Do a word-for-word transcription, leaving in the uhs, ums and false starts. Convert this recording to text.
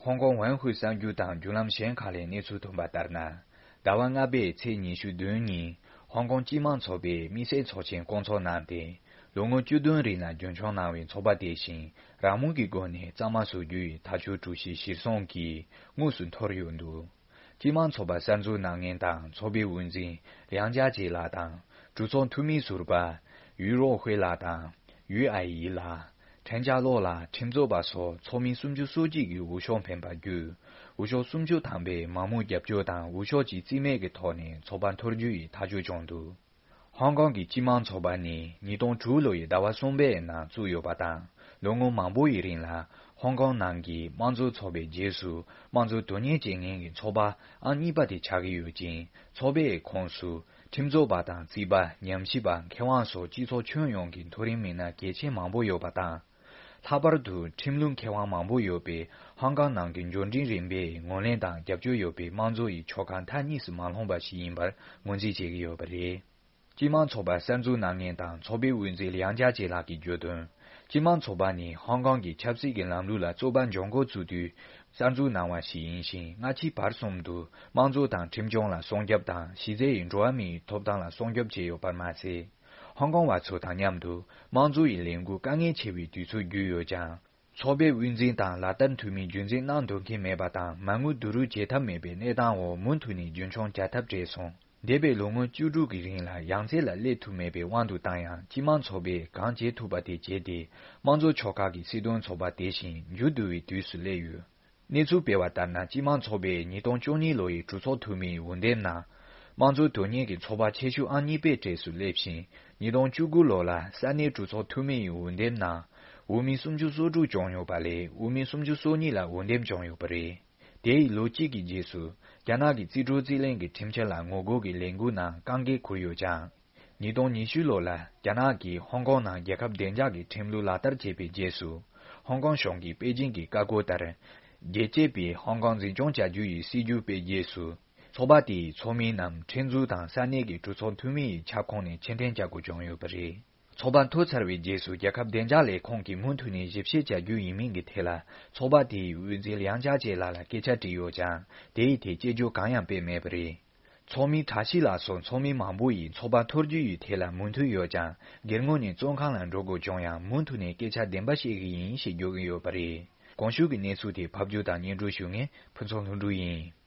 ཧོང་ཀོང་ཝན་ཧུའེ་གསར་འགྱུར་དང་བརྒྱུད་ལམ་གཞན་ཁག་ལས་གནས་ཚུལ་ཐོན་པ་ལྟར་ན། ཟླ་བ་ལྔ་པའི་ཚེས་ཉི་ཤུ་བདུན་ཉིན་ཧོང་ཀོང་སྤྱི་དམངས་ཚོགས་པས་དམིགས་བསལ་ཚོགས་ཆེན་བསྐོང་ཚོགས་གནང་སྟེ། ལོ་ངོ་བཅུ་བདུན་རིང་ལ་རྒྱུན་འཁྱོངས་གནང་བའི་ཚོགས་པ་དེ་བཞིན་རང་མོས་ཀྱི་སྒོ་ནས་གཙང་མ་བཟོ་རྒྱུ་ཡི་ཐག་གཅོད་གྲོས་གཞི་གཞིར་བཟུང་གིས་དངོས་སུ་འཐོར་ཡོད་འདུག་སྤྱི་དམངས་ཚོགས་པ་གསར་འཛུགས་གནང་མཁན་དང་ཚོགས་པའི་དབུ་འཛིན་ལིའང་ཅཱ་ཅེ་ལགས་དང་གྲོས་ཚོགས་འཐུས་མི་ཟུར་པ་ཡུས་རོ་ཧུའེ་ལགས་དང་ཡུས་ཨའེ་ཡི་ལགས། ཁྲེན་ཅཱ་ལོ་ལགས། ཁྲིམས་རྩོད་པ་སོགས་ཚོགས་མི་སུམ་ཅུ་སོ་གཅིག་གིས་འོས་ཤོག་འཕེན་པ་བརྒྱུད། འོས་ཤོག་སུམ་ཅུ་ཐམ་པས་མང་མོས་རྒྱབ་སྐྱོར་དང་འོས་ཤོག་གཅིག་རྩིས་མེད་ཀྱི་ཐོག་ནས་ཚོགས་པ་འཐོར་རྒྱུ་ཡི་ཐག་གཅོད་བྱུང་འདུག་ཧོང་ཀོང་གི་སྤྱི་དམངས་ཚོགས་པ་ནི་ཉིས་སྟོང་དྲུག་ལོ་ཡི་ཟླ་བ་གསུམ་པའི་ནང་བཙུགས་ཡོད་པ་དང་། ལོ་ངོ་མང་པོ་ཡི་རིང་ལ་ཧོང་ཀོང་ནང་གི་དམངས་གཙོ་ཚོགས་པའི་རྗེས་སུ་དམངས་གཙོ་དོན་གཉེར་བྱེད་མཁན་གྱི་ཚོགས་པ་ཨང་གཉིས་པ་དེ་ཆགས་ཀྱི་ཡོད་ཅིང་། ཚོགས་པའི་ཁོངས་སུ་ཁྲིམས་རྩོད་པ་དང་རྩིས་པ། ཉམས་ཞིབ་པ། མཁས་དབང་སོགས་སྤྱི་ཚོགས་ཁྱོན་ཡོངས་ཀྱི་མཐོ་རིམ་མི་སྣ་གལ་ཆེན་མང་པོ་ཡོད་པ་དང་། ལྷག་པར་དུ་ཁྲིམས་ལུགས་མཁས་དབང་མང་པོ་ཡོད་པས་ཧོང་ཀོང་ནང་གི་འབྱོར་འབྲིང་རིམ་པས་ངོས་ལེན་དང་རྒྱབ་སྐྱོར་ཡོད་པའི་དམངས་གཙོ་ཡི་ཕྱོགས་ཁག་མཐའ་གཉིས་སུ་མ་ལྷུང་བ་ཞིག་ཡིན་པར་ངོས་འཛིན་བྱེད་ཀྱི་ཡོད་པ་རེད། སྤྱི་དམངས་ཚོགས་པ་གསར་འཛུགས་གནང་མཁན་དང་ཚོགས་པའི་དབུ་འཛིན་ལིའང་ཅཱ་ཅེ་ལགས་ཀྱིས་བརྗོད་དོན། སྤྱི་དམངས་ཚོགས་པ་ནི་ཧོང་ཀོང་གི་ཆབ་སྲིད་ཀྱི་ལམ་ལུགས་ལ་རྩོད་པ་འབྱུང་འགོ་བཙུགས་དུས་གསར་འཛུགས་གནང་བ་ཞིག་ཡིན་ཞིང་། སྔ་ཕྱི་བར་གསུམ་དུ་དམངས་གཙོ་དང་ཁྲིམས་སྐྱོང་ལ་སྲུང་སྐྱོབ་དང་། གཞི་རྩའི་འགྲོ་བ་མིའི་ཐོབ་ཐང་ལ་སྲུང་སྐྱོབ་བྱས་ཡོད་པར་མ་ཟད། ཧོང་ཀོང་བ་ཚོ་དང་མཉམ་དུ་དམངས་གཙོ་ཡི་ལས་འགུལ་དཀའ་ངལ་ཆེ་བའི་དུས་ཚོད་བརྒྱུད་ཡོད་ཀྱང་། ཚོགས་པའི་དབུ་འཛིན་དང་ལག་བསྟར་འཐུས་མི་རྒྱུན་འཛིན་གནང་ཐུབ་མཁན་མེད་པ་དང་། མ་དངུལ་བསྡུ་རུབ་བྱེད་ཐབས་མེད་པའི་གནས་སྟངས་འོག་མུ་མཐུད་ནས་རྒྱུན་འཁྱོངས་བྱ་ཐབས་བྲལ་སོང་། འདས་པའི་ལོ་ངོ་བཅུ་དྲུག་གི་རིང་ལ་ཡང་རྩེ་ལ་སླེབས་ཐུབ་མེད་པའི་དབང་དུ་བཏང་ཡང་། སྤྱི་དམངས་ཚོགས་པས་གང་བྱེད་ཐུབ་པ་དེ་བྱས་ཏེ། དམངས་གཙོ་ཕྱོགས་ཁག་གི་སྲིད་དོན་ཚོགས་པ་དེ་བཞིན་མཇུག་བསྡུ་བའི་དུས་སུ་སླེབས་ཡོད། གནས་ཚུལ་སྤེལ་བ་ལྟར་ན། སྤྱི་དམངས་ཚོགས་པས་ཉིས་སྟོང་བཅུ་གཉིས་ལོ་ཡི་གྲོས་ཚོགས་འཐུས་མིའི་འོས་འདེམས་ནང་། དམངས་གཙོ་དོན་གཉེར་གྱི་ཚོགས་པ་ཆེ་ཤོས་ཨང་གཉིས་པའི་གྲས་སུ་སླེབས་ཤིང་། ཉིས་སྟོང་བཅུ་དགུ་ལོ་ལ་ས་གནས་གྲོས་ཚོགས་འཐུས་མིའི་འོས་འདེམས་ནང་། འོས་མི་སུམ་ཅུ་སོ་དྲུག་བྱུང་ཡོད་པ་ལས། འོས་མི་སུམ་ཅུ་སོ་གཉིས་ལ་འོས་འདེམས་བྱུང་ཡོད་པ་རེད། དེ་ཡི་ལོ་གཅིག་གི་རྗེས་སུ། རྒྱ་ནག་གི་རྩིས་སྤྲོད་རྩིས་ལེན་གྱི་ཁྲིམས་འཆར་ལ་ངོ་རྒོལ་གྱི་ལས་འགུལ་ནང་རྐང་འགན་འཁུར་ཡོད་ཀྱང་། ཉིས་སྟོང་ཉི་ཤུ་ལོ་ལ་རྒྱ་ནག་གིས་ཧོང་ཀོང་ནང་རྒྱལ་ཁབ་བདེ་འཇགས་ཀྱི་ཁྲིམས་ལུགས་ལག་བསྟར་བྱས་པའི་རྗེས་སུ། ཧོང་ཀོང་གཞུང་གིས་པེ་ཅིང་གི་བཀའ་བཀོད་ལྟར། རྒྱལ་གཅེས་པས་ཧོང་ཀོང་འཛིན་སྐྱོང་བྱ་རྒྱུ་ཡི་སྲིད་ཇུས་སྤེལ་རྗེས་སུ། ཚོགས་པ་དེའི་ཚོགས་མི་རྣམས་ཁྲིམས་འཛུགས་དང་ས་གནས་ཀྱི་གྲོས་ཚོགས་འཐུས་མི་ཡི་ཁྱབ་ཁོངས་ནས་ཕྱིར་འཐེན་བྱ་དགོས་བྱུང་ཡོད་པ་རེད། ཚོགས་པ་འཐོར་ཚར་བའི་རྗེས་སུ་རྒྱལ་ཁབ་བདེ་འཇགས་ལས་ཁུངས་ཀྱིས་མུ་མཐུད་ནས་ཞིབ་བཤེར་བྱ་རྒྱུ་ཡིན་མིན་གྱི་ཐད་ལ། ཚོགས་པ་དེའི་དབུ་འཛིན་ལིའང་ཅཱ་ཅེ་ལགས་ལ་སྐད་ཆ་དྲིས་ཡོད་ཀྱང་། དེའི་ཐད་དཔྱད་བརྗོད་གང་ཡང་སྤེལ་མེད་པ་རེད། ཚོགས་མི་བཀྲ་ཤིས་ལགས་སོགས་ཚོགས་མི་མང་པོ་ཡིས་ཚོགས་པ་འཐོར་རྒྱུ་ཡི་ཐད་ལ་མོས་མཐུན་ཡོད་ཀྱང་། སྒེར་ངོས་ནས་བཙོན་ཁང་ལ་འགྲོ་དགོས་བྱུང་ཡང་། མུ་མཐུད་ནས་སྐད་ཆ་བདེན་པ་བཤད་ཀྱི་ཡིན་ཞེས་བརྗོད་ཀྱི་ཡོད་པ་རེད། གོང་ཞུས་ཀྱི་གནས་ཚུལ་དེ་ཕབ་སྒྱུར་དང་སྙན་སྒྲོན་ཞུ་མཁན་ཕུན་ཚོགས་ལྷུན་གྲུབ་ཡིན།